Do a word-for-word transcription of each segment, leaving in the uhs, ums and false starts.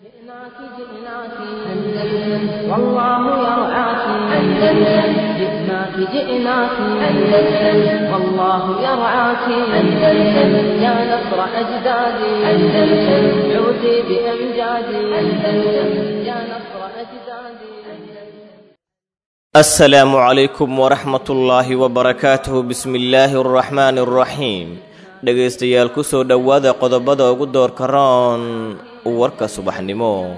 جئناك جئناك أندلس والله يرعاك أندلس جئناك جئناك أندلس والله يرعاك أندلس يا نصر أجدادي أندلس عودي بأمجادي أندلس يا نصر أجدادي. السلام عليكم ورحمة الله وبركاته. بسم الله الرحمن الرحيم. Dhegaystayaal, ku soo dhowaada qodobada ugu doorka roon warka subaxnimo.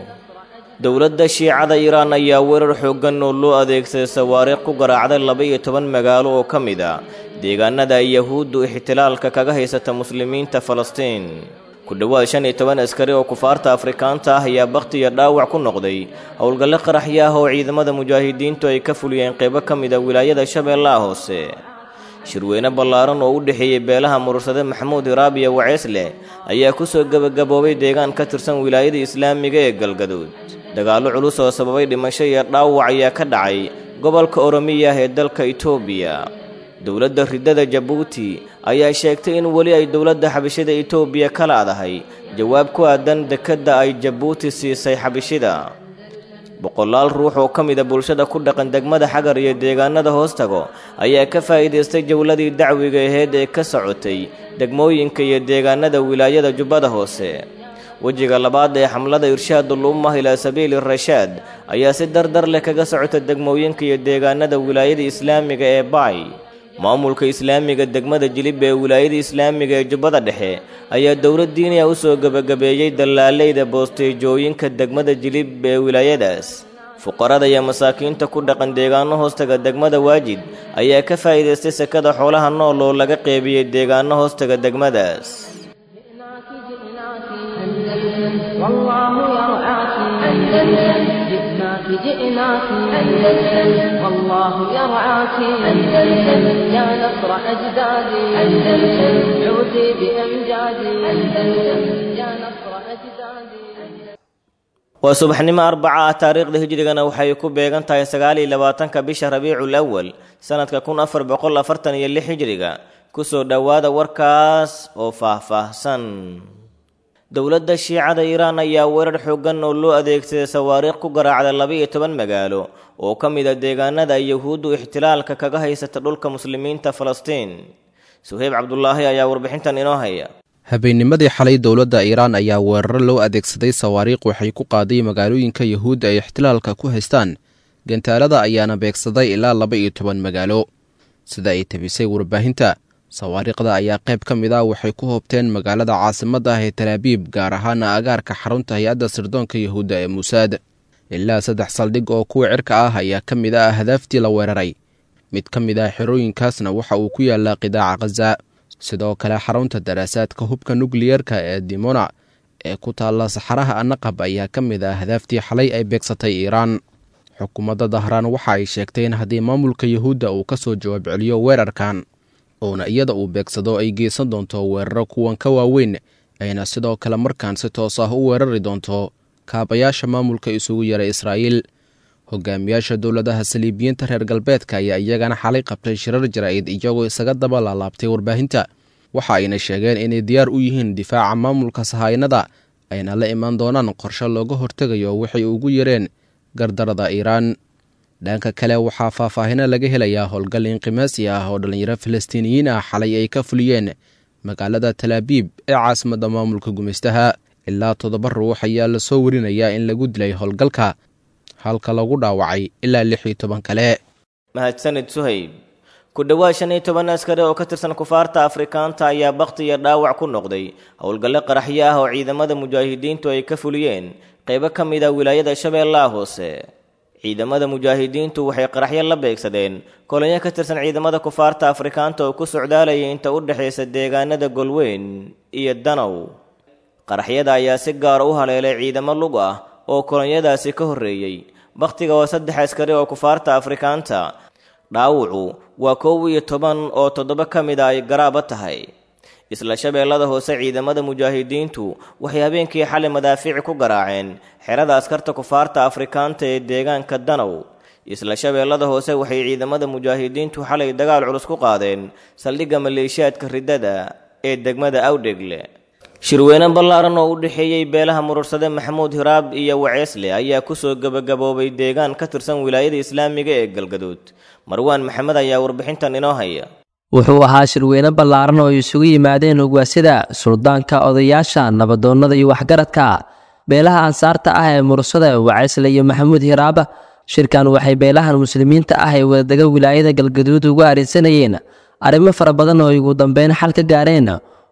Dowladda Shiicada Iiraan ayaa weerar xooggan oo loo adeegsaday sawaariikh ku garaacday laba iyo toban magaalo oo ka mid ah deegaanada ay Yahuuddu ixtilaalka kaga haysata muslimiinta Falastiin. Ku dhowaad shan iyo toban askari oo kufaarta Afrikaanta ah ayaa bakhti iyo dhaawac ku noqday howlgalle qaraxyo ah oo ciidamada mujaahidiintu ay ka fuliyeen qaybo ka mid ah wilaayada Shabeellaha Hoose. Shirweyne ballaaran oo u dhexeeyey beelaha murursade Maxamuud Hiraabiya Waceesle ayaa ku soo gebagaboobay deegaan ka tirsan wilaayada islaamiga ee Galgaduud. Dagaallo culus oo sababay dhimasho iyo dhaawac ayaa ka dhacay gobolka Oromiya ee dalka Itoobiya. Dowladda riddada Jabuuti ayaa sheegtay in weli ay dowladda xabashida Itoobiya ka laadahay jawaab ku aadan dekedda ay Jabuuti siisay xabashida. Boqolaal ruux oo ka mid ah bulshada ku dhaqan degmada Xagar iyo deegaanada hoostago ayaa ka faa'iidaystay jawladii dacwiga ahayd ee ka socotay degmooyinka iyo deegaanada wilaayada Jubbada Hoose. Wejiga labaad ee xamlada Irshaadul Ummah ilaa Sabiili Rashaad ayaa si dardar leh kaga socota degmooyinka iyo deegaanada wilaayada islaamiga ee Baay. Maamulka islaamiga degmada Jilib ee wilaayada islaamiga ee Jubbada Dhexe ayaa dowlad diini ah u soo gebagabeeyey dallaaleyda boosteejooyinka degmada Jilib ee wilaayadaas. Fuqarada iyo masaakiinta ku dhaqan deegaano hoostaga degmada Waajid ayaa ka faa'iidaystay sakada xoolaha nool oo laga qeybiyey deegaano hoostaga degmadaas. جئناك جئناك أندلس والله يرعاك أندلس جئناك جئناك أندلس والله يرعاك أندلس يا نصر أجدادي أندلس عودي بأمجادي أندلس يا نصر أجدادي. Waa subaxnimo arbaca ah, taariikhda hijrigana waxay ku beegan tahay sagaal iyo labaatanka bisha Rabiicul Awal sanadka kun afar boqol afartan iyo lix hijriga. Kusoo dhowaada warkaas oo faahfaahsan. Dowladda Shiicada Iiraan ayaa weerar xooggan oo loo adeegsaday sawaariikh ku garaacday laba iyo toban magaalo oo ka mid ah deegaanada ay Yahuuddu ixtilaalka kaga haysata dhulka muslimiinta Falastiin. Suheyb Cabdulaahi ayaa warbixintan inoo haya. Habeennimadii xalay dowladda Iiraan ayaa weeraro loo adeegsaday sawaariikh waxay ku qaaday magaalooyinka Yahuudda ay ixtilaalka ku haystaan. Gantaalada ayaana beegsaday ilaa laba iyo toban magaalo. Sida ay tabisay warbaahinta, sawaariikhda ayaa qayb ka mid ah waxay ku hoobteen magaalada caasimadda ah ee Talaabiib, gaar ahaana agaarka xarunta hay-adda sirdoonka Yahuudda ee Muusaad. Ilaa saddex saldhig oo kuwa cirka ah ayaa ka mid ah ahdaaftii la weeraray. Mid ka mid ah xerooyinkaasna waxa uu ku yaalaa qidaaca Khaza. Sidoo kale xarunta daraasaadka hubka nukliyerka ee Dimona ee ku taalla saxaraha Anaqab ayaa ka mid ah ahdaaftii xalay ay beegsatay Iiraan. Xukuumadda Dahraan waxa ay sheegtay in haddii maamulka Yahuudda uu ka soo jawaab celiyo weerarkan oona iyada uu beegsado ay geysan doonto weeraro kuwan ka waaweyn, ayna sidoo kale markaan si toos ah u weerari doonto kaabayaasha maamulka isugu yaray Israa'iil. Hogaamiyaasha dowladaha saliibiyiinta reer galbeedka ayaa iyagana xalay qabtay shirar jaraa'id iyagoo isaga daba laalaabtay warbaahinta. Waxa ayna sheegeen inay diyaar u yihiin difaaca maamulka sahaynada, ayna la imaan doonaan qorshe looga hortegayo waxay ugu yareen gardarada Iiraan. Dhanka kale waxaa faahfaahino laga helayaa howlgal inqimaasi ah oo dhallinyaro Falastiiniyiin ah xalay ay ka fuliyeen magaalada Talaabiib ee caasimadda maamulka gumaystaha. Ilaa toddoba ruux ayaa lasoo warinayaa in lagu dilay howlgalka, halka lagu dhaawacay ilaa lix iyo toban kale. Mahadsanid Suhayb. Ku dhowaad shan iyo toban askari oo ka tirsan kufaarta Afrikaanta ayaa bakhti iyo dhaawac ku noqday howlgalle qaraxyo ah oo ciidamada mujaahidiintu ay ka fuliyeen qaybo ka mid ah wilaayada Shabeellaha Hoose. Ciidamada mujaahidiintu waxay qaraxyo la beegsadeen kolonyo ka tirsan ciidamada kufaarta Afrikaanta oo ku socdaalayay inta u dhexaysa deegaanada Golweyn iyo Danow. Qaraxyada ayaa si gaar u haleelay ciidamo lug ah oo kolonyadaasi ka horreeyey. Bakhtiga waa saddex askari oo kufaarta Afrikaanta, dhaawacu waa kow iyo toban oo toddoba ka mid a ay garaaba tahay. Isla Shabeellada Hoose, ciidamada mujaahidiintu waxay habeenkii xalay madaafiic ku garaaceen xerada askarta kufaarta Afrikaanta ee deegaanka Danow. Isla Shabeellada Hoose waxay ciidamada mujaahidiintu xalay dagaal culus ku qaadeen saldhigga maleeshiyaadka riddada ee degmada Awdhegle. Shirweyne ballaaran oo u dhexeeyey beelaha murursade Maxamuud Hiraab iyo Waceesle ayaa kusoo gebagaboobay deegaan ka tirsan wilaayada islaamiga ee Galgaduud. Marwaan Maxamed ayaa warbixintan inoo haya. Wuxuu ahaa shirweyne ballaaran oo isugu yimaadeen ugaasyada, suldaanka, odayaasha, nabadoonnada iyo waxgaradka beelaha ansaarta ah ee murursada Waceesle iyo Maxamuud Hiraab. Shirkan waxay beelahan muslimiinta ah ee wadadaga wilaayada Galgaduud ugu arrinsanayeen arrimo fara badan oo ugu dambeyn xal ka gaareen,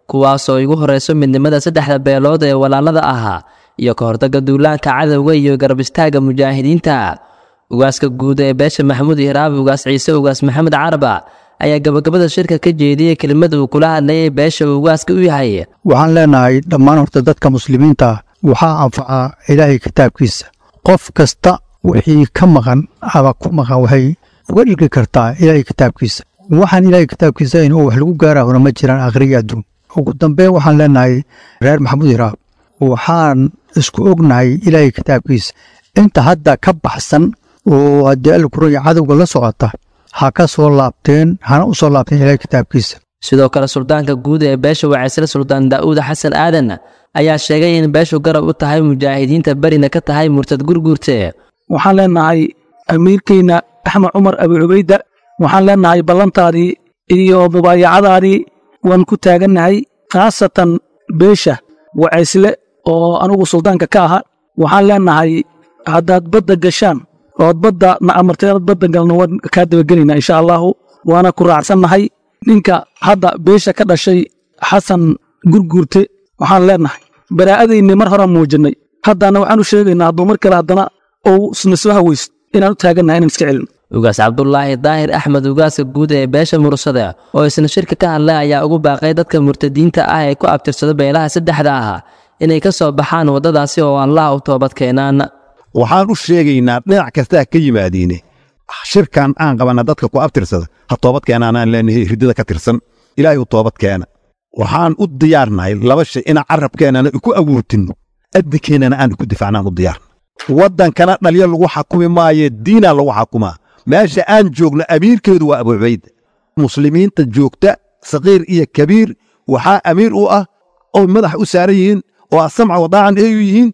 kuwaasoo igu horeyso midnimada saddexda beelood ee walaalada ahaa iyo ka hortagga duulaanka cadowga iyo garab istaagga mujaahidiinta. Ugaaska guud ee beesha Maxamuud Hiraab, Ugaas Ciise Ugaas Maxamed Caraba, ayaa gabagabada shirka ka jeediyey kelimad uu kula hadlayay beesha uu ugaaska u yahay. Waxaan leenahay dhammaan horta dadka muslimiinta waxaa anfacaa Ilaahay kitaabkiisa. Qof kasta wixii ka maqan ama ku maqan waxay uga dhigi kartaa Ilaahay kitaabkiisa. Waxaan Ilaahay kitaabkiisa in wax lagu gaarahona ma jiraan akhriya adduun. Ugu dambeyn waxaan leenahay reer Maxamuud Hiraab, waxaan isku ognahay Ilaahay kitaabkiisa. Inta hadda ka baxsan oo haddii alla kuraya cadowga la socota ha ka soo laabteen, hana u soo laabteen Ilaahay kitaabkiisa. Sidoo kale suldaanka guud ee beesha Waceysle, Suldaan Daa'uud Xasan Aadan, ayaa sheegay in beeshu garab u tahay mujaahidiinta, berina ka tahay murtad Gurguurte. Waxaan leenahay amiirkeyna Axmed Cumar Abi Cubayda, waxaan leenahay ballantaadii iyo mubaayacadaadii waan ku taagannahay, khaasatan beesha Waceysle oo anugu suldaanka ka aha. Waxaan leenahay haddaad badda gashaan ood badda na amartay aad badda galno, waan kaa dabagelaynaa insha Allaahu, waana ku raacsannahay. Ninka hadda beesha ka dhashay Xasan Gurguurte, waxaan leenahay baraa'adaynay mar horaan muujinnay, haddana waxaan u sheegaynaa hadduu mar kale haddana uu isna soo hawaysto inaan u taagannahay inaan iska celino. Ugaas Cabdulaahi Daahir Axmed, ugaaska guud ee beesha murursada oo isna shirka ka hadlay, ayaa ugu baaqay dadka murtadiinta ah ee ku abtirsada beelaha saddexda ah inay ka soo baxaan waddadaasi oo Allah u toobad keenaan. Waxaan u sheegaynaa dhinac kastaa ka yimaadiine, shirkan aan qabanna dadka ku abtirsada ha toobad keenaanaan leenahay, riddada ka tirsan Ilaahay u toobad keena. Waxaan u diyaarnahay laba shay: inaan carabkeennana ku awoortinno, adinkeennana aan ku difaacnaan u diyaarna. Waddankana dhalyo lagu xakumi maaye, diinaa lagu xakumaa. Meesha aan joogno amiirkeedu waa Abu Cubayda. Muslimiinta joogta saqiir iyo kabiir waxaa amiir u ah oo madax u saaran yihiin oo asamca wadaacan ay u yihiin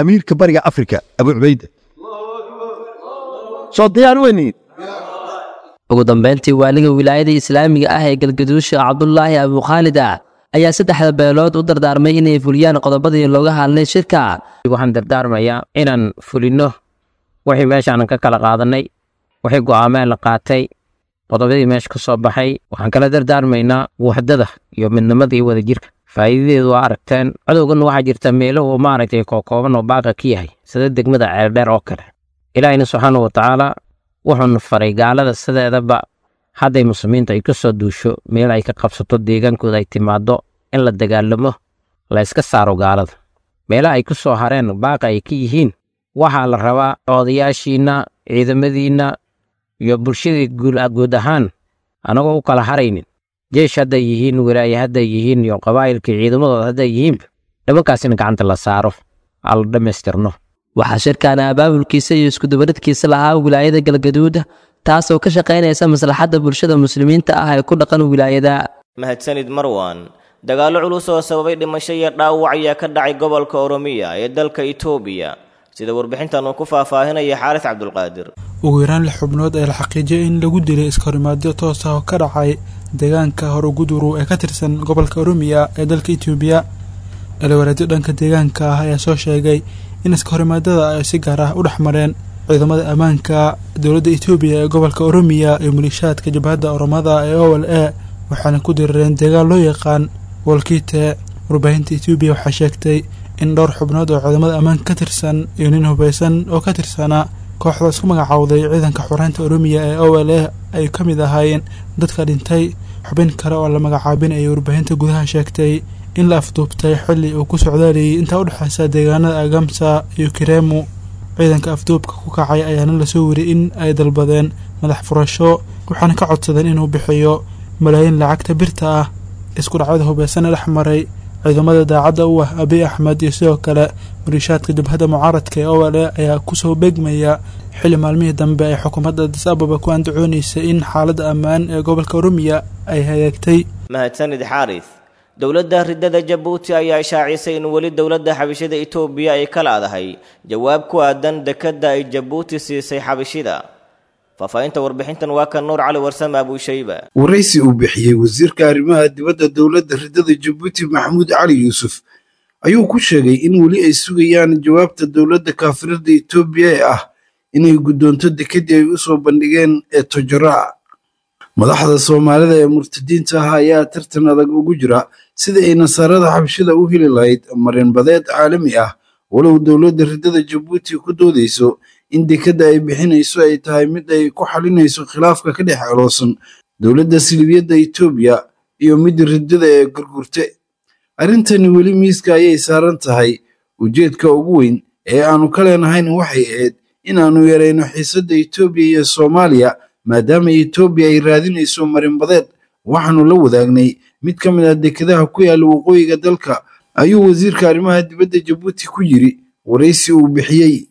amiirka bariga Afrika Abu Cubayda. Soo diyaar weyniin. Ugu dambeyntii waaliga wilaayada islaamiga ah ee Galgaduud, Sheekh Cabdulaahi Abukhaalid, ayaa saddexda beelood u dardaarmay inay fuliyaan qodobadii looga hadlay shirka. Waxaan dardaarmayaa inaan fulinno wixii meeshaanan ka kala qaadanay, wixii go'aameen la qaatay, qodobadii meesha ka soo baxay. Waxaan kala dardaarmaynaa waxdada iyo midnimada iyo wadajirka. Faa'iidadeedu waa aragteen. Cadowgan waxaa jirta meelo uu maaragtay kookooban oo baaqa ka yahay, sida degmada Ceeldheer oo kale. Ilaahina subxaana wa tacaala wuxuuna faray gaalada sideedaba hadday muslimiinta ay ka soo duusho meel ay ka qabsato deegaankooda ay timaado in la dagaalamo, la iska saaro gaalada. Meelaha ay ku soo hareen baaqa ay ka yihiin waxaa la rabaa odayaashiinna, ciidamadiinna iyo bulshadii guud ahaan, anagoo u kala haraynin jeesh hadday yihiin, wilaaye hadday yihiin iyo qabaa'ilkii ciidamadooda hadday yihiinba, nimankaasina gacanta la saaro, aan la dhammaystirno. Waxaa shirkan abaabulkiisa iyo iskudubaridkiisa lahaa wilaayada Galgaduud, taasoo ka shaqaynaysa maslaxadda bulshada muslimiinta ah ee ku dhaqan wilaayada. Mahadsanid Marwan. Dagaallo culus oo sababay dhimasho iyo dhaawac ayaa ka dhacay gobolka Oromiya ee dalka Itoobiya, sida warbixintan uu ku faahfaahinaya Xaaris Cabdulqaadir. Ugu yaraan lix xubnood ayaa la xaqiijiyay in lagu dilay iskahorimaadyo toos ah oo ka dhacay deegaanka Horoguduru ee ka tirsan gobolka Oromiya ee dalka Itoobiya. Dhaliwareedyo dhanka deegaanka ah ayaa soo sheegay in iskahorimaadada ay si gaar ah u dhex mareen ciidamada ammaanka dowladda Itoobiya ee gobolka Oromiya iyo maliishaadka jabhadda Oromada ee O L A, waxaana ku dirireen deegaan loo yaqaan Wolkite. Warbaahinta Itoobiya waxaa sheegtay in dhowr xubnood oo ciidamada ammaanka ka tirsan iyo nin hubaysan oo ka tirsanaa kooxda isku magacowday ciidanka xoreynta Oromiya ee O L A ay ka mid ahaayeen dadka dhintay. Xubin kale oo la magacaabin ayay warbaahinta gudaha sheegtay in la afduubtay xilli uu ku socdaalayay intaa u dhexeysa deegaanada Agamsa iyo Kiremu. Ciidanka afduubka ku kacay ayaana lasoo weriyay in ay dalbadeen madax furasho, waxaana ka codsadeen inuu bixiyo malaayiin lacagta birta ah. Isku dhacyada hubaysan ee dhex maray ciidamada daacadda u ah Abiy Axmed iyo sidoo kale maliishaadka jabhadda mucaaradka ee O L A ayaa kusoo beegmaya xilli maalmihii dambe ay xukuumadda Addis Ababa ku andacoonaysay in xaaladda ammaan ee gobolka Oromiya ay hagaagtay. Mahadsanid Xaaris. Dowladda riddada Jabuuti ayaa shaacisay in weli dowladda xabashida Itoobiya ay ka laadahay jawaab ku aadan dekedda ay Jabuuti siisay xabashida. Faahfaahinta warbixintan waa kan Nuur Cali Warsame Abuushayba. Waraysi uu bixiyey wasiirka arrimaha dibadda dowladda riddada Jabuuti Maxamuud Cali Yuusuf ayuu ku sheegay in weli ay sugayaan jawaabta dowladda kaafirada Itoobiya ee ah inay guddoonto dekeddii ay u soo bandhigeen ee Tojoraa. Madaxda Soomaalida ee murtadiinta ah ayaa tartan adag ugu jira sida ay nasaarada xabshida u heli lahayd marinbadeed caalami ah, walow dowladda riddada Jabuuti ku doodayso in dekedda ay bixinayso ay tahay mid ay ku xalinayso khilaafka ka dhex aloosan dowladda silibiyadda Itoobiya iyo mid riddada ee gurgurte. Arrintani weli miiska ayay saaran tahay. Ujeedka ugu weyn ee aanu ka leenahayn waxay ahayd in aanu yarayno xiisadda Itoobiya iyo Soomaaliya, maadaama Itoobiya ay raadinayso marinbadeed. Waxaanu la wadaagnay mid ka mid ah dekedaha ku yaalla waqooyiga dalka, ayuu wasiirka arrimaha dibadda Jabuuti ku yiri waraysi uu bixiyey.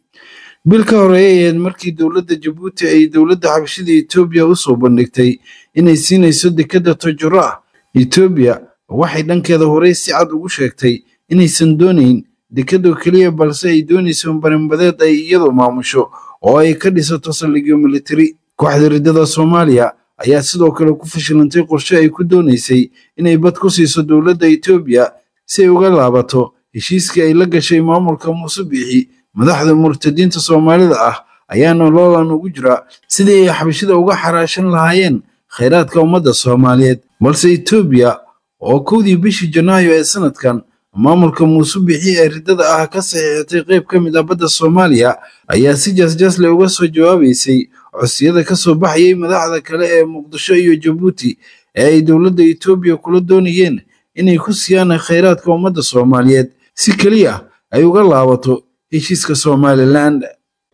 Bil ka horeeyay ahayd markii dowladda Jabuuti ay dowladda xabashida Itoobiya u soo bandhigtay inay siinayso dekedda Tojoraa. Itoobiya waxay dhankeeda horey si cad ugu sheegtay inaysan doonayn dekedoo keliya, balse ay doonayso marinbadeed ay iyadu maamusho oo ay ka dhisato saldhigyo militari. Kooxda riddada Soomaaliya ayaa sidoo kale ku fashilantay qorshe ay ku doonaysay inay bad ku siiso dowladda Itoobiya si ay uga laabato heshiiskii ay la gashay maamulka Muuse Biixi. Madaxda murtadiinta Soomaalida ah ayaana loolan ugu jira sidii ay xabashida uga xaraashan lahaayeen khayraadka ummadda Soomaaliyeed, balse Itoobiya oo kowdii bishii Janaayo ee sanadkan maamulka Muuse Biixi ee riddada ah ka saxiixatay qayb ka mid ah badda Soomaaliya ayaa si jaasjaasle uga soo jawaabaysay codsiyada ka soo baxayay madaxda kale ee Muqdisho iyo Jabuuti ee ay dowladda Itoobiya kula doonayeen inay ku siiyaan khayraadka ummadda Soomaaliyeed si keliya ay uga laabato heshiiska Somaliland.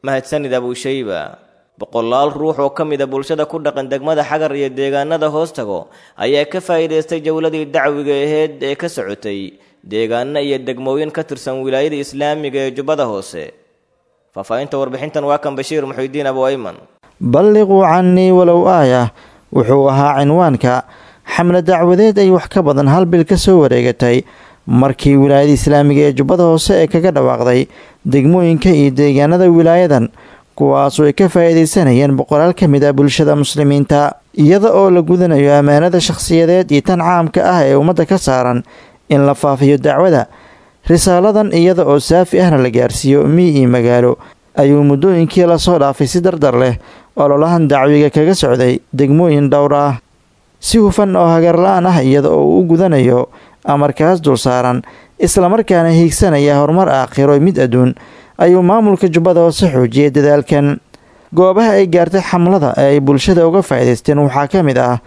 Mahadsanid Abuushayba. Boqolaal ruux oo ka mid ah bulshada ku dhaqan degmada Xagar iyo deegaanada hoos tago ayaa ka faa'iidaystay jawladii dacwiga ahayd ee ka socotay deegaano iyo degmooyin ka tirsan wilaayada islaamiga ee Jubbada Hoose. Faahfaahinta warbixintan waa kan Bashiir Muxuudiin Abu Ayman. Balliquu cannii walow aaya wuxuu ahaa cinwaanka xamle dacwadeed ay wax ka badan hal bil ka soo wareegatay markii wilaayada islaamiga ee Jubbada Hoose ee kaga dhawaaqday degmooyinka iyo deegaanada wilaayadan, kuwaasoo ay ka faa'iidaysanayeen boqolaal ka mid ah bulshada muslimiinta, iyada oo la gudanayo ammaanada shakhsiyadeed iyo tan caamka ah ee ummadda ka saaran in la faafiyo dacwada risaaladan, iyada oo saafi ahna la gaarsiiyo miyi iyo magaalo, ayuu muddooyinkii lasoo dhaafay si dardar leh ololahan dacwiga kaga socday degmooyin dhowr ah si hufan oo hagarla-aan ah, iyada oo uu u gudanayo amarkaas dul saaran islamarkaana hiigsanaya horumar aakhiro mid adduun, ayuu maamulka Jubbada Hoose xoojiyay dadaalkan. Goobaha ay gaartay xamlada ee ay bulshada uga faa'iidaysteen waxaa ka mid ah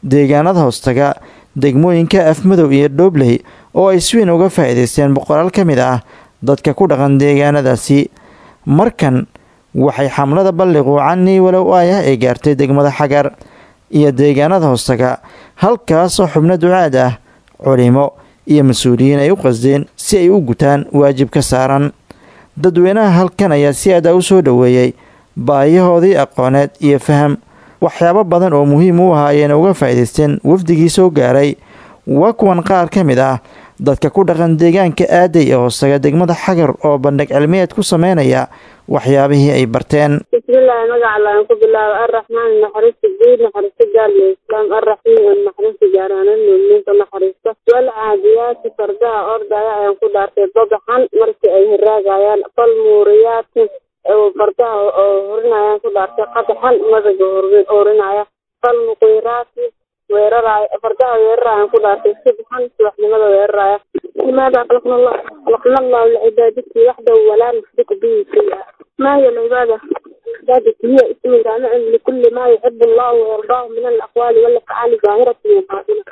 deegaanada hoostaga degmooyinka Afmadow iyo Dhoobley oo ay si weyn uga faa'iidaysteen boqolaal ka mid ah dadka ku dhaqan deegaanadaasi. Markan waxay xamlada Balliquu cannii walow aayah ay gaartay degmada Xagar iyo deegaanada hoostaga, halkaasoo xubno ducaad ah, culimo iyo mas-uuliyiin ay u qasdeen si ay u gutaan waajibka saaran. Dadweynaha halkan ayaa si aad ah u soo dhoweeyey baahiyahoodii aqooneed iyo faham waxyaabo badan oo muhiim u ahaa ayayna uga faa'iidaysteen wafdigii soo gaaray. Waa kuwan qaar ka mid ah dadka ku dhaqan deegaanka Aaday ee hoostaga degmada Xagar oo bandhig cilmiyeed ku sameynaya waxyaabihii ay barteen. Bismillaahi, magaca Alle ku bilaabo. Arraxmaan naxariista guud, naxariista gaar leh islaam. Arraxiim naxariista gaar ahaan muuminiinta naxariista. Wal caadiyaati fardaha ordaya ayaan ku dhaartay babaxan markii ay hiraagayaan. Fal muuriyaati fardaha oo hurinayaan ku dhaartay qadaxan madaga hurinaya. Fal muqiiraati weeraraya fardaha weerarayaan ku dhaartay subxan subaxnimada weeraraya. لماذا خلقنا الله؟ خلقنا الله لعبادته وحده ولا نشرك به شيئا. ما هي العبادة؟ عبادة هي اسم جامع لكل ما يحب الله ويرضاه من الأقوال والأفعال ظاهرة وباطنة.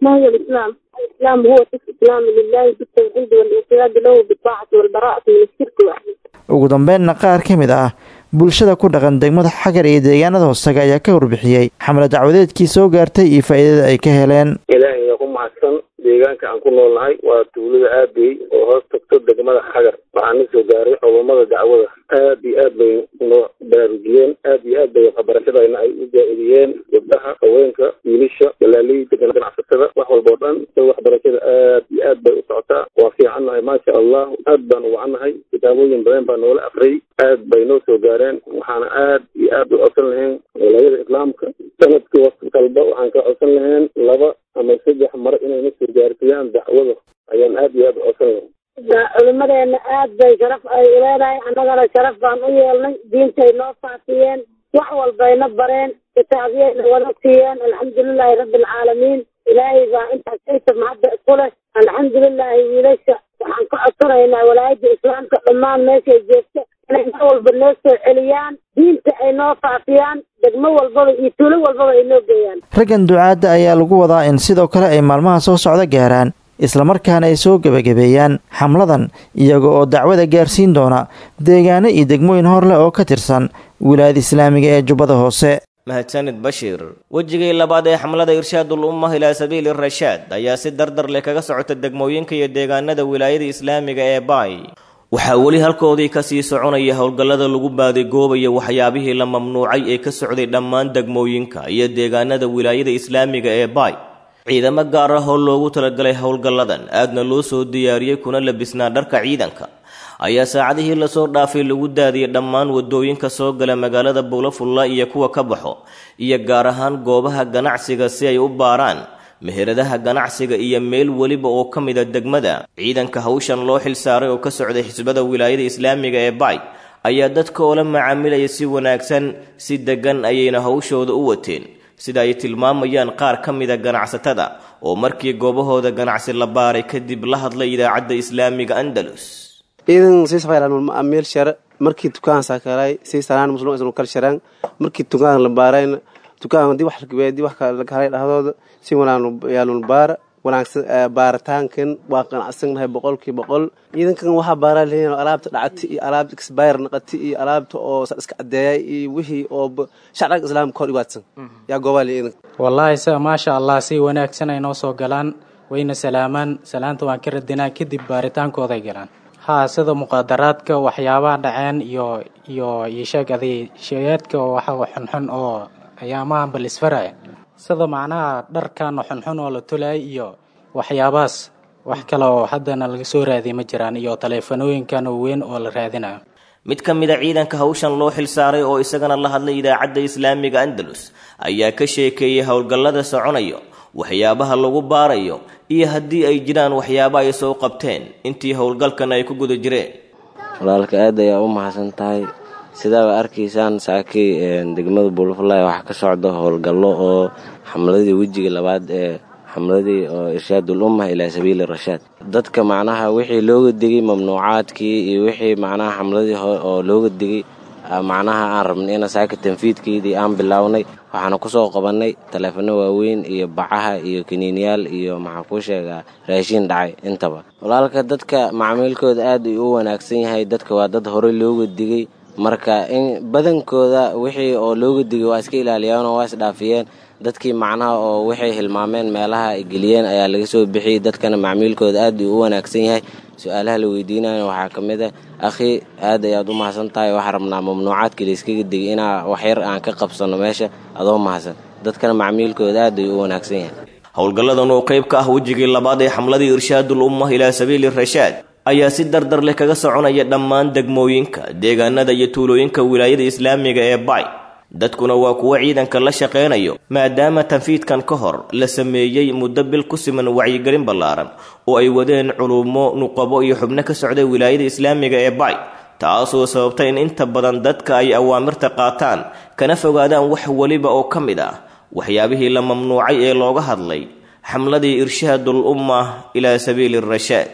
ما هي الإسلام؟ الإسلام هو الاستسلام لله بالتوحيد والانقياد له بالطاعة والبراءة من الشرك وأهله. Ugu dambeynna qaar ka mid ah bulshada ku dhaqan degmada Xagar iyo deegaanada hoostaga ayaa ka warbixiyey xamle dacwadeedkii soo gaartay iyo faa'iidada ay ka heleen. Ilaahay ku mahadsan deegaan Deegaanka aan ku noolnahay waa tuulada Aabey oo hoos tagto degmada Xagar. Waxaan na soo gaaray culummada dacwada, aad iyo aad bay noo baraarujiyeen, aad iyo aad bay waxbarashadayna ay u jaa-idiyeen gabdhaha, haweenka, wiilasha, dalaaleyda, ganacsatada, wax walba oo dhan. Waxbarashada aad iyo aad bay u socotaa, waa fiicannahay, maasha Allah, aad baan u wacannahay. Kitaabooyin badan baa noola afriyay, aad bay noo soo gaareen. Waxaana aad iyo aad u codsan lahayn walaayada islaamka sanadkii waqti kalba waxaan ka codsan lahayn laba ama saddex mar inay na soo gaarsiiyaan dacwada, ayaan aad iyo aad u codsan lahayn. Culimadeena aad bay sharaf ay uleedahay, annagana sharaf baan u yeelnay. Diintay noo faafiyeen, wax walbayna bareen, kitaabyayna wada siiyeen. Alxamdulilaahi rabbi alcaalamiin, ilaahay baa intaas inta mahadda isku leh. Alxamdulilaahi, wiilasha waxaan ka codsanaynaa walaayadda islaamka dhammaan meeshay joogta inay mar walba noo soo celiyaan, diinta ay noo faafiyaan, degmo walbaba iyo tuulo walbaba ay noo geeyaan. Raggan ducaadda ayaa lagu wadaa in sidoo kale ay maalmaha soo socda gaaraan, islamarkaana ay soo gebagabeeyaan xamladan, iyaga oo dacwada gaarsiin doona deegaano iyo degmooyin hor leh oo ka tirsan wilaayada islaamiga ee Jubbada Hoose. Mahadsanid Bashiir. Wejigii labaad ee xamlada Irshaadul Ummah ilaa sabiili Rashaad ayaa si dardar leh kaga socota degmooyinka iyo deegaanada wilaayada islaamiga ee Baay. Waxaa weli halkoodii kasii soconaya howlgallada lagu baadigoobayo waxyaabihii la mamnuucay ee ka socday dhammaan degmooyinka iyo deegaanada wilaayada islaamiga ee Baay. Ciidamo gaar ah oo loogu talagalay howlgalladan aadna loo soo diyaariyey kuna labisnaa dharka ciidanka ayaa saacadihii lasoo dhaafay lagu daadiyey dhammaan wadooyinka soo gala magaalada Buulafulla iyo kuwa ka baxo, iyo gaar ahaan goobaha ganacsiga si ay u baaraan meheradaha ganacsiga iyo meel weliba oo ka mid a degmada. Ciidanka hawshan loo xilsaaray oo ka socday xisbada wilaayada islaamiga ee Baay ayaa dadka oola macaamilaya si wanaagsan, si degan ayayna hawshooda u wateen, sida ay tilmaamayaan qaar ka mida ganacsatada oo markii goobahooda ganacsi la baaray kadib la hadlay idaacadda islaamiga Andalus. Ciidan sii safaylaan meel share markii dukaan saakaray sii sanaan muslim isnu kal sharaan markii dukaan la baarayna dukaan hadii wax laga weydii wax kale laga helay dhahdooda si wanaan yaalun baara wanaagsan. Baaritaankan waa qanacsanahay boqolkiiba boqol. Ciidankan waxaa baaraa leeyihiin alaabta dhacatay iyo alaabta expire naqatay iyo alaabta oo iska cadeeyay iyo wixii oo sharciga islaamka hor iwaadsan yaa goobaa leeyihiin. Wallaahi sa maasha Allah, si wanaagsan ay noo soo galaan, wayna salaamaan, salaanta waan ka radinaa, kadib baaritaankooday galaan. Haa, sida muqaadaraadka, waxyaabaha dhaceen iyo iyo iyo sheeg aday sheegaadka waxa xunxun oo ayaamahan bal isfaraya, sida macnaha dharkan xunxun oo la tulay iyo waxyaabahaas. Wax kale oo haddana laga soo raadiy ma jiraan, iyo taleefanooyinkan oo weyn oo la raadinayo. Mid ka mid a ciidanka hawshan loo xilsaaray oo isagana la hadlay idaacadda islaamiga Andalus ayaa ka sheekeeyey howlgallada soconayo, waxyaabaha lagu baarayo iyo haddii ay jiraan waxyaaba ay soo qabteen intii howlgalkan ay ku guda jireen. Walaalka, aad ayaa u mahadsan tahay. Sidaaba arkaysaan, saakay degmada Buulafulay waxaa ka socda howlgallo oo xamladii wejiga labaad ee xamladii oo Irshaadul Ummah ilaa sabiili rashaad. Dadka macnaha wixii looga digay mamnuucaadkii iyo wixii macnaha xamladii oo looga digay, macnaha aan rabnay ina saaka tanfiidkeedii aan bilownay. Waxaana kusoo qabannay taleefano waaweyn iyo bacaha iyo kaniiniyaal iyo maxaa kuu sheegaa raashiin dhacay intaba. Walaalka, dadka macmiilkooda aad u wanaagsan yahay. Dadka waa dad horey looga digay, marka in badankooda wixii oo looga digay waa iska ilaaliyeen oo waa isdhaafiyeen. Dadkii macnaha oo waxay hilmaameen meelaha ay geliyeen ayaa laga soo bixiyey. Dadkana macmiilkooda aad uu u wanaagsan yahay. Su-aalaha la weydiinayo waxaa ka mid ah: "Akhi, aad ayaad u mahadsan tahay, waxaa rabnaa mamnuucaadkii la iskaga digay inaa waxyar aan ka qabsano meesha, adoo mahadsan." Dadkana macmiilkooda aad ayuu u wanaagsan yahay. Howlgalladan oo qayb ka ah wejigii labaad ee xamladii Irshaadul Ummah ilaa sabiili rashaad ayaa si dardar leh kaga soconaya dhammaan degmooyinka, deegaanada iyo tuulooyinka wilaayada islaamiga ee Bay. Dadkuna waa kuwo ciidanka la shaqaynayo, maadaama tanfiidkan ka hor la sameeyey muddo bil ku siman wacyigelin ballaaran oo ay wadeen culumo, nuqabo iyo xubno ka socday wilaayada islaamiga ee Bay, taasoo sababtay in inta badan dadka ay awaamirta qaataan kana fogaadaan wax weliba oo ka mid ah waxyaabihii la mamnuucay ee looga hadlay xamladii Irshaadul Ummah ilaa sabiili rashaad.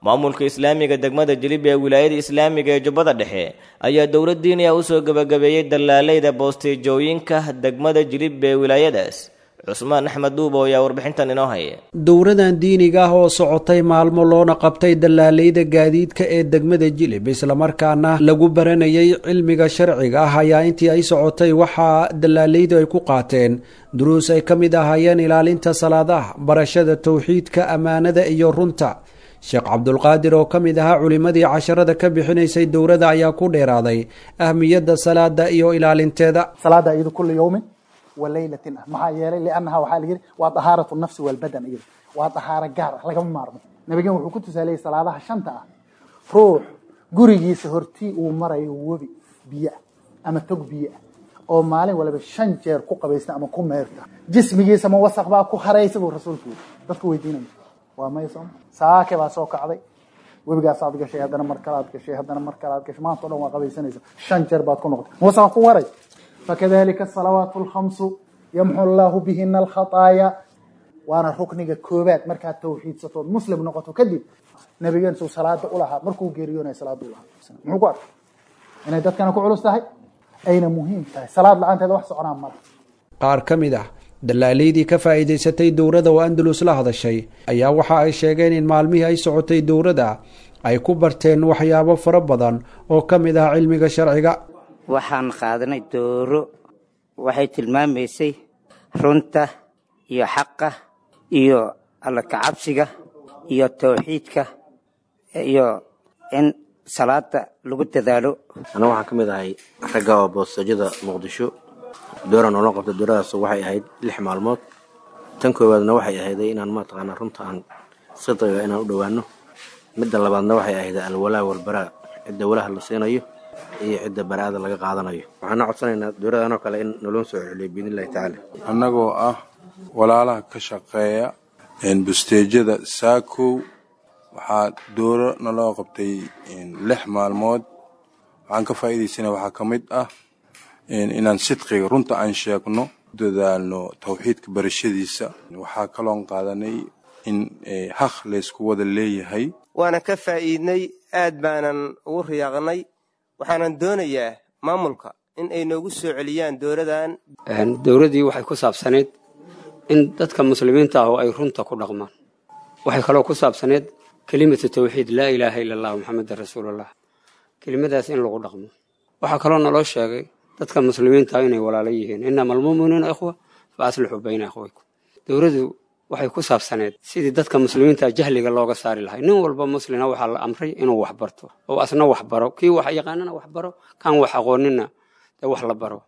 Maamulka islaamiga degmada Jilib ee wilaayada islaamiga ee Jubbada Dhexe ayaa dowlad diiniya usoo gebagabeeyey dallaaleyda boosteejooyinka degmada Jilib ee wilaayadaas. Cusmaan Axmed Duubo ayaa warbixintan inoo haya. Dowradan diiniga ah oo socotay maalmo loona qabtay dallaaleyda gaadiidka ee degmada Jilib, islamarkaana lagu baranayay cilmiga sharciga ah, ayaa intii ay socotay waxaa dallaaleydu ay ku qaateen duruus ay ka mid ahaayeen ilaalinta salaadaha, barashada towxiidka, ammaanada iyo runta. Sheekh Cabdulqaadir oo ka mid ahaa culimmadii casharada ka bixinaysay dowrada ayaa ku dheeraaday ahmiyadda salaada iyo ilaalinteeda. Salaada iyadu kulli yawmin wa laylatin ah, maxaa yeelay liannaha waxaa la yidhi waa dahaaratu nafsi walbadan, iyadu waa dahaaro gaar ah, lagama maarmo. Nabigan wuxuu ku tusaaleeyey salaadaha shanta ah ruux gurigiisa hortii uu marayo webi biyo ah ama tog biyo ah oo maalin waliba shan jeer ku qabaysta ama ku meerta, jismigiisa ma wasaq baa ku haraysa buu rasuulku yidhi. Dadku weydiinaya waa maya sooma. Saake baa soo kacday, webigaasaad gashay, haddana mar kalaad gashay, haddana mar kalaad gashay, maanta o dhan waa qabaysanaysa, shan jeer baad ku noqotay, ma wasaqa ku waray. Fakadalika asalawaatu alkhamsu yamxu allahu bihina alkhataaya. Waana rukniga koobaad markaad tawxiidsatood muslim noqoto kadib. Nabigeen suu salaada u lahaa markuu geeriyoonaya salaada u lahaa, muxuu ku arkay inay dadkana ku culus tahay ayna muhiim tahay, salaad la-aanteeda wax soconaa mala. Qaar ka mid ah dallaaleydii ka faa'iidaysatay dowrada oo Andalus la hadashay ayaa waxa ay sheegeen in maalmihii ay socotay dowrada ay ku barteen waxyaabo fara badan oo ka mid ah cilmiga sharciga. Waxaan qaadanay dooro, waxay tilmaamaysay runta iyo xaqa iyo alla kacabsiga iyo tawxiidka iyo in salaada lagu dadaalo. Aniga waxaan ka mid ahay ragga oo boostajada Muqdisho. Doora noola qabta, dooradaas waxay ahayd lix maalmood. Tan koowaadna waxay ahayday inaan mataqaanaa runta aan sidqiga inaan u dhowaano. Midda labaadna waxay ahayd alwalaa walbaraa, cidda walaha la siinayo iyo cidda baraa'ada laga qaadanayo. Waxaana codsanaynaa dowladan oo kale in naloo soo celiyo biidnillahi tacaala. Annagoo ah walaalaha ka shaqeeya busteejada Saakow, waxaa dooro naloo qabtay lix maalmood. Waxaan ka faa'iidaysana waxaa ka mid ah inaan sidqiga runta aan sheegno, dadaalno tawxiidka barashadiisa. Waxaa kaloon qaadanay in haq laysku wada leeyahay. Waana ka faa'iidnay, aad baanan ugu riyaaqnay. Waxaanan doonayaa maamulka in ay noogu soo celiyaan dowladan. Dowladdii waxay ku saabsanayd in dadka muslimiinta ah oo ay runta ku dhaqmaan. Waxay kaloo ku saabsanayd kelimatu tawxiid, laa ilaaha ila allah muxamedan rasuulullah, kelimadaas in lagu dhaqmo. Waxaa kaloo naloo sheegay dadka muslimiinta ah inay walaalo yihiin, innama almu'minuuna ikhwa fa aslixuu bayna akhwaykum. Dowladdu waxay ku saabsaneed sidii dadka muslimiinta jahliga looga saari lahay. Nin walba muslina waxaa la amray inuu wax barto oo asna wax baro, kii wax yaqaanana wax baro, kan wax aqoonina dee wax la baro.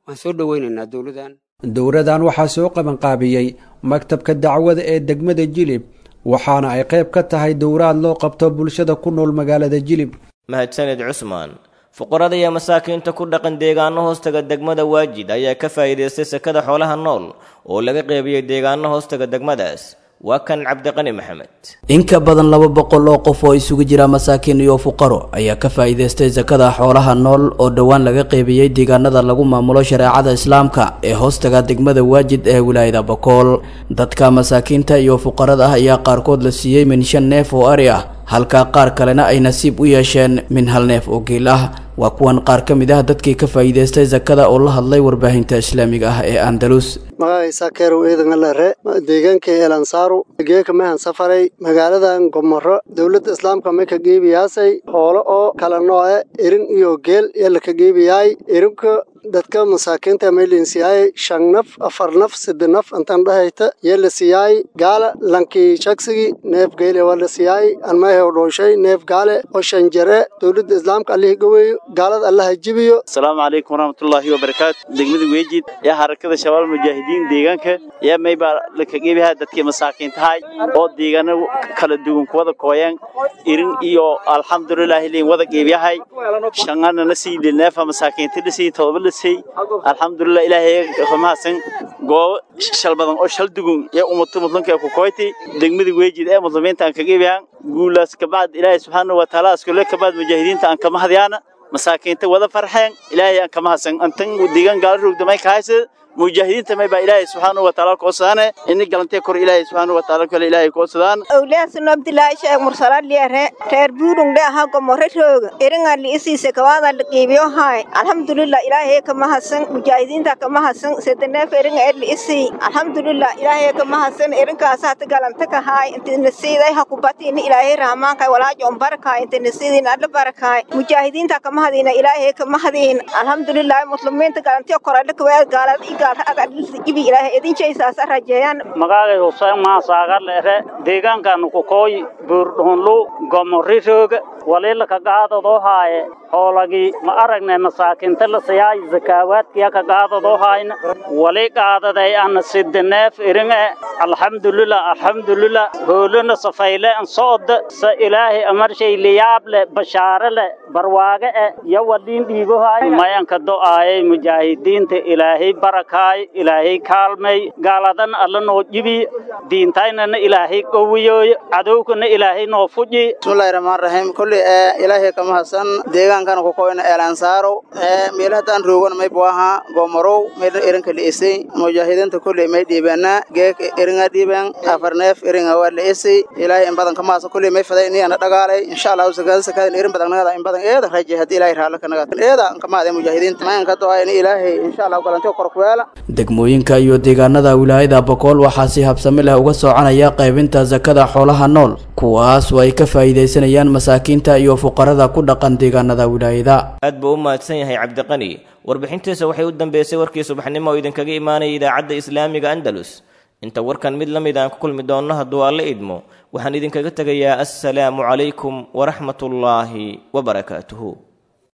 Waan soo dhoweynaynaa dowladan. Dowradan waxaa soo qabanqaabiyey maktabka dacwada ee degmada Jilib, waxaana ay qayb ka tahay dowraad loo qabto bulshada ku nool magaalada Jilib. Mahadsanid Cusmaan. Fuqarada iyo masaakiinta ku dhaqan deegaano hoostaga degmada Waajid ayaa ka faa'iidaystay sakada xoolaha nool oo laga qeybiyey deegaano hoostaga degmadaas. Waa kan Cabdiqani Maxamed. In ka badan laba boqol oo qof oo isugu jira masaakiin iyo fuqaro ayaa ka faa'iidaystay sakada xoolaha nool oo dhowaan laga qeybiyey deegaanada lagu maamulo shareecada islaamka ee hoostaga degmada Waajid ee wilaayada Bakool. Dadka masaakiinta iyo fuqarada ah ayaa qaarkood la siiyey min shan neef oo ari ah, halka qaar kalena ay nasiib u yeesheen min hal neef oo geel ah. Waa kuwan qaar ka mid ah dadkii ka faa'iidaystay sakada oo la hadlay warbaahinta islaamiga ah ee Andalus. Magacaysa Kerow Eedan Lare, deegaanka Elansaaru, geeka mehan safaray magaaladan Gomorro. Dowladda islaamka ma ka geebiyaasay xoolo oo kala nooc, erin iyo geel ee la ka geebiyay. Erinka dadka masaakiinta meelinsiyaay shan naf, afar naf, saddex naf intaan dhahayta yee la siiyay. Gaala lankii shaksigi neef geele waa la siiyay, anmahe oo dhooshay neef gaale oo shan jare. Dowladda islaamka Allahi gaweeyo, gaalada Allaha jibiyo. Asalaamu calaykum waraxmatullaahi wabarakaatu. Degmada Weejid yaa Xarakada Shabaab Mujaahidiin deegaanka yaa maybaa la kageebihaa dadkii masaakiintahay oo deegaano kala duwan kuwada kooyeen irin iyo alxamdulilaahi liin wada geebiyahay. Shanana na sii neefa masaakiinta la sii, todoba la sii, alxamdulilah ilaahay mahadsan. Goobo shal badan oo shal dugun ee ummadu muslimka ku kooytay degmada Weejid ee muslimiinta aan kageebiyaan guulaas kabacd Ilaahay subxaanahu wa tacaala iskule kabacd mujaahidiinta aan ka mahadyaana masaakiinta wada farxeen Ilaahay aan ka mahadsan. Antan deegaan gaala rugdamay ka haysa Mujaahidiinta may baa Ilaahay subxaanahu wa tacaala koosadaane ini galantee kor Ilaahay subxaanahu wa tacaala kale Ilaahay koosadaan. Awlaasna Abdullaahi Sheekh Mursalaad Liare reer Buurung dhe ahaa Gomore rooga eringa liisiisa kawaada la qiibiyo haay. Alxamdulillah, Ilaahay ka mahadsan, mujaahidiinta ka mahadsan. Sedaneef eringa er liisii, alxamdulillah, Ilaahay ka mahadsan. Erinkaas hata galanta ka haay inta nasiiday ha ku batiin Ilaahay rahmaanka walaajo barakaay inta nasiidin alla barakaay. Mujaahidiinta ka mahadina, Ilaahay ka mahadin. Alxamdulillah, muslimiinta galantiyo koradha ka gaalada i gaal aga ibi Ilaahay idin jeysaas rajeeyaan. Magacay Hussein Maasaagar leere, deegaankaanu ku kooy Buurdhunlu Gomori rooga waliila ka qaadadoo haaye hoolagii ma aragnay masaakiinta la siyaay zakaawaadkiya ka qaadadoo haayna wali qaadaday ana sidaneef iringe. Alxamdulillah, alxamdulillah, hoolana safayle an socda sa Ilaahay amarshay liyaable bashaare le barwaage e yo waliin dhiibo haay mayanka do'aayay. Mujaahidiinta Ilaahay barakaay, Ilaahay kaalmay, gaaladan Alla noo jibi, diintaynana Ilaahay qowiyooy, cadowkana Ilaahay noo fuji. Bismillahi rahmaan rahiim. Kulli ee Ilaahay ka mahadsan. Deegaankan ku koyna Eelansaaro ee meelahan roogana may buaha Gomorow meel irinka liisay. Mujaahidiinta kulli may dhiibeena geek iringa dhiibeen afar neef iringa waa liisay. Ilaahay in badan ka mahadsan. Kulli may faday inay ana dhagaalay insha Allah sakada sakada irin badan nagada in badan eeda rajay hadii Ilaahay raala ka naga eeda ka mahadsan mujaahidiinta mayan ka doa in Ilaahay insha Allah galantiyo kor ku yeela. Degmooyinka iyo deegaanada wilaayada Boqol waxaa si habsami leh uga soconaya qaybinta zakada xoolaha nool, kuwaas oo ay ka faa'iidaysanayaan masaakiinta iyo fuqarada ku dhaqan deegaanada wilaayada. Aad buu u mahadsan yahay Cabdiqani. Warbixintiisa waxay u dambeysay warkii subaxnimo oo idinkaga imaanaya Idaacadda Islaamiga Andalus. Inta warkan mid la mid aan ku kulmi doonno hadduu Alle idmo, waxaan idinkaga tegayaa assalaamu calaykum waraxmatullaahi wabarakaatuhu.